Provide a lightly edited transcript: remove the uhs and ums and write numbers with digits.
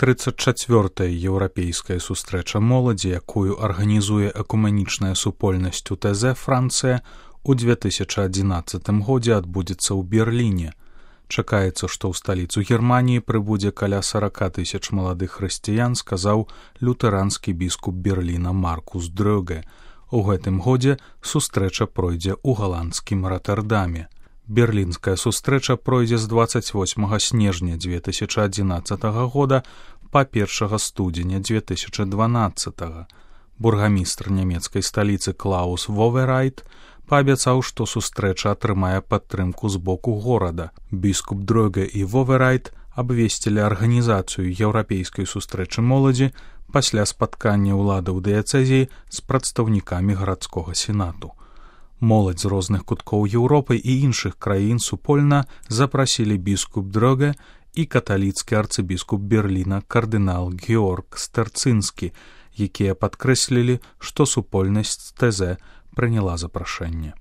34-я еўрапейская сустрэча моладзі, якую арганізуе экумэнічная супольнасць УТЗ Францыя, у 2011 годзе адбудзецца ў Берліне. Чакаецца, што ў сталіцу Германіі прыбудзе каля 40 000 маладых хрысціян, сказаў лютэранскі біскуп Берліна Маркус Дрёге. У гэтым годзе сустрэча пройдзе ў галандскім Роттердаме. Берлінская сустрэча пройдзе з 28 снежня 2011 года па 1 студзеня 2012. Бургамістр нямецкай сталіцы Клаус Воверайт паабяцаў, што сустрэча атрымае падтрымку з боку горада. Біскуп Дрёге і Воверайт абвесцілі арганізацыю еўрапейскай сустрэчы моладзі пасля спаткання ўладаў дыяцэзіі з прадстаўнікамі гарадскога сенату. Моладзь з розных куткоў Еўропы і іншых краін супольна запрасілі біскуп Дрёге і каталіцкі арцыбіскуп Берліна кардынал Георг Стерцынскі, якія падкрэслілі, што супольнасць ТЗ прыняла запрашэнне.